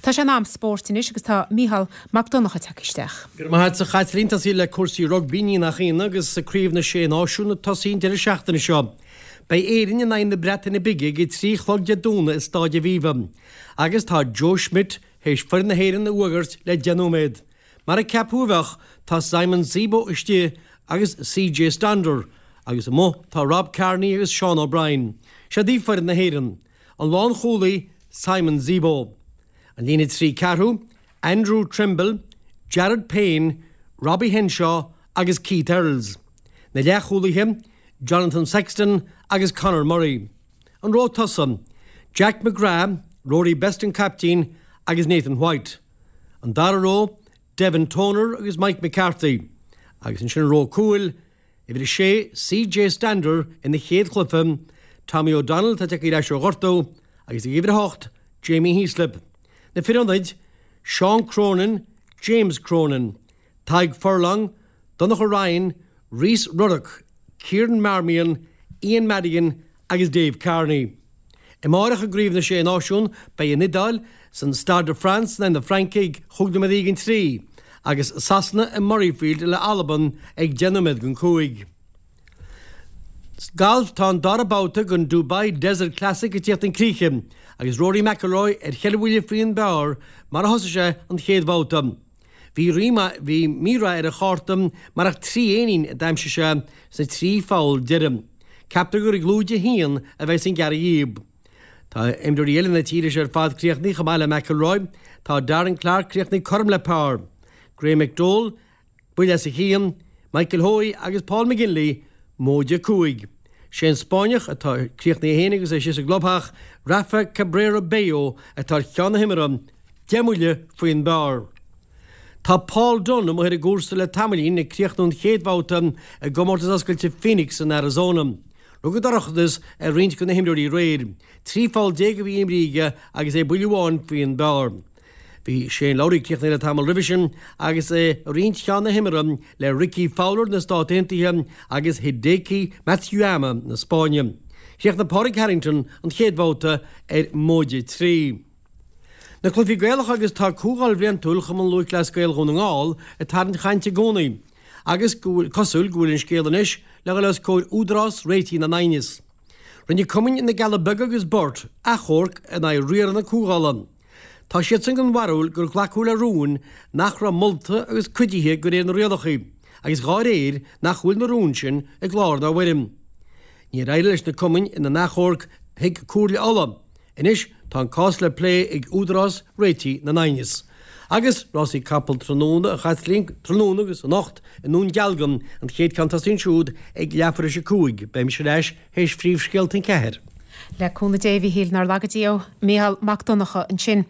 Tá sé in am spóirt anois agus tá Mícheál Mac Donncha tagtha isteach. Go raibh maith agat a Chaitlín. Tosaí le cúrsaí rugbaí, ní nach ionadh, agus Craobh na Sé Náisiún ag tosaí an deireadh seachtaine seo. Beidh Éirinn in aghaidh na Breataine Bige ag a 3 a chlog Dé Domhnaigh i Stáid Aviva. Agus tá Joe Schmidt théis foireann na hÉireann a fhuagairt le 10 nóiméad. Mar a ceapadh a bheadh, tá Simon Zebo istigh agus CJ Stander, agus amuigh tá Rob Kearney agus Sean O'Brien. Seod í foireann na hÉireann. An lánchúlaí, Simon Zebo. An líne 3 ceathrú, Andrew Trimble, Jared Payne, Robbie Henshaw agus Keith Earls. Na leathchúlaithe, Jonathan Sexton agus Conor Murray. An ró tosaigh, Jack McGrath, Rory Best an caiptín agus Nathan White. An dara ró, Devin Toner agus Mike McCarthy. Agus ansin an ró cúil, uimhir 6, CJ Stander ina chéad chluiche, Tommy O'Donnell atá tagtha ar ais ó ghortú, agus ag uimhir 8, Jamie Heaslip. Na fir ionaid, Seán Cronin, James Cronin, Tadhg Furlong, Donnacha Ryan, Rhys Ruddock, Kieran Marmion, Ian Madigan agus Dave Kearney. Amáireach i gCraobh na Sé Náisiún beidh an Iodáil san Stade de France in aghaidh na Fraince ag chúig nóiméad i ndiaidh an trí agus Sasana i Murrayfield le Albain ag 10 nóiméad don 5. Galf Tá an dara babhta den Dubai Desert Classic ag tíocht chun críche agus Rory McIlroy ar cheithre bhuille faoin bpar mar a thosaigh sé an chéad bhabhta. Bhí bhí mí-rath ar a chárta mar ach 3 éinín a d'aimsigh sé sna 3 pholl deiridh. Ceaptar gur ag lúide 1 a bheas an gearradh dhíob. Tá imreoirí eile na tíre seo ar fad críochnaithe chomh maith le McIlroy. Tá Darren Clarke críochnaithe cothrom le par. Graham McDowell buille as a chionn, Michael Hoey agus Paul McGinley móide 5. Sé an Spáinneach atá críochnaithe féin agus é síos i gclubtheach, Rafa Cabrera Bello atá ar cheann na himeartha, 10 mbuille faoin bpar. Tá Paul Dunne amuigh ar an gcúrsa le tamaillín ag críochnú an chéad bhabhta i gcomórtas oscailte Phoenix in Arizona. Rug an dorchadas ar roinnt de na himreoirí aréir. 13 pholl a bhí imrithe aige agus é buille amháin faoin bpar. Bhí Shane Lowry críochnaithe le tamall roimhe sin agus é ag roinnt cheann na himeartha le Rickie Fowler na Stát Aontaithe agus Hideki Matsuyama na Spáinne. Chríochnaigh Pádraig Harrington an chéad bhabhta ar móide 3. Na cluichí Gaelacha agus tá Comhdháil Bhliantúil Chumann Lúthchleas Gael Dhún na nGall ag tarraingt chainte i gcónaí agus go bhfuil cosúil go bhfuil an scéal anois le dhul os comhair Údarás Réitigh na nAighneas. Rinne cumainn na gCealla Beaga agus Burt achomharc in aghaidh riaradh na comhdhála. Tá siadsan den bharúil gur glacadh le rúin nach raibh molta agus cuidithe de réir na rialacha agus dhá réir nach bhfuil na rúin sin i gclár ná i bhfoirm. Níor éirigh leis na cumainn ina n-achomharc chuig Comhairle Uladh. Anois tá an cás le plé ag Údarás Réitigh na nAighneas. Agus rásaí capall tráthnóna, a Chaitlín, tráthnóna agus anocht i nDún Dealgan, an chéad ceann tosaíonn siúd ag leathuair théis a 5. Beidh mise ar ais théis phríomhscéalta an ceathair. Le cúnamh Dé, a Mhíchíl, nár laga Dia thú. Mícheál Mac Donncha ansin.